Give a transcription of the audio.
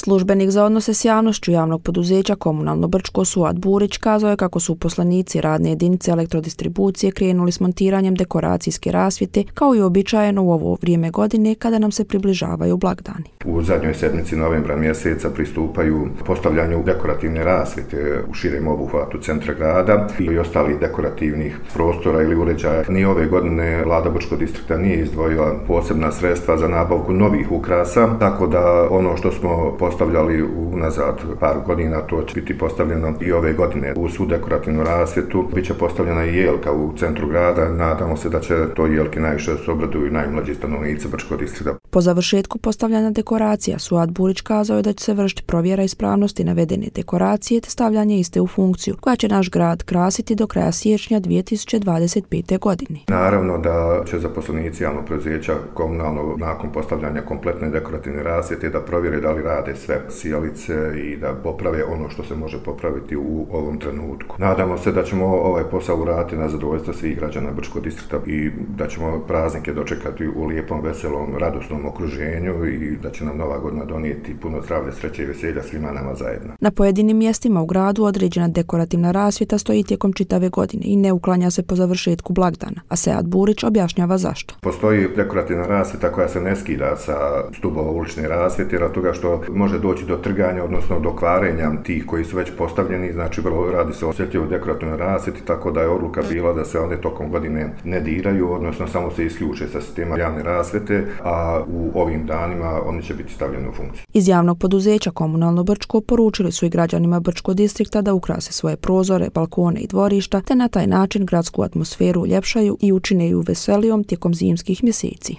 Službenik za odnose s javnošću javnog poduzeća Komunalno Brčko Suad Burić kazao je kako su uposlenici radne jedinice elektrodistribucije krenuli s montiranjem dekoracijske rasvjete kao i uobičajeno u ovo vrijeme godine kada nam se približavaju blagdani. U zadnjoj sedmici novembra mjeseca pristupaju postavljanju dekorativne rasvjete u širem obuhvatu centra grada i ostalih dekorativnih prostora ili uređaja. Ni ove godine Vlada Brčkog distrikta nije izdvojila posebna sredstva za nabavku novih ukrasa, tako da ono što smo postavljali unazad par godina, to će biti postavljeno i ove godine. U svu dekorativnu rasvjetu bit će postavljena i jelka u centru grada. Nadamo se da će to jelke najviše se obraduju najmlađi stanovnici Brčkog distrikta. Po završetku postavljanja dekoracija, Suad Burić kazao je da će se vršiti provjera ispravnosti navedene dekoracije te stavljanje iste u funkciju, koja će naš grad krasiti do kraja siječnja 2025. godine. Naravno da će zaposlenici javnog preduzeća komunalno nakon postavljanja kompletne dekorativne rasvjete da provjere da li rade sve sijalice i da poprave ono što se može popraviti u ovom trenutku. Nadamo se da ćemo ovaj posao uraditi na zadovoljstvo svih građana Brčkog distrikta i da ćemo praznike dočekati u lijepom, veselom, radosnom okruženju i da će nam nova godina donijeti puno zdravlja, sreće i veselja svima nama zajedno. Na pojedinim mjestima u gradu određena dekorativna rasvjeta stoji tijekom čitave godine i ne uklanja se po završetku blagdana, a Suad Burić objašnjava zašto. Postoji dekorativna rasvjeta koja se ne skida sa stubova ulične rasvjete, jer od toga što može doći do trganja, odnosno do kvarenja tih koji su već postavljeni, znači vrlo radi se o osjetljivoj dekorativnoj rasvjeti, tako da je odluka bila da se one tokom godine ne diraju, odnosno samo se isključe sa sistema javne rasvjete, a u ovim danima oni će biti stavljeni u funkciju. Iz javnog poduzeća Komunalno Brčko poručili su i građanima Brčkog distrikta da ukrase svoje prozore, balkone i dvorišta, te na taj način gradsku atmosferu uljepšaju i učine ju veselijom tijekom zimskih mjeseci.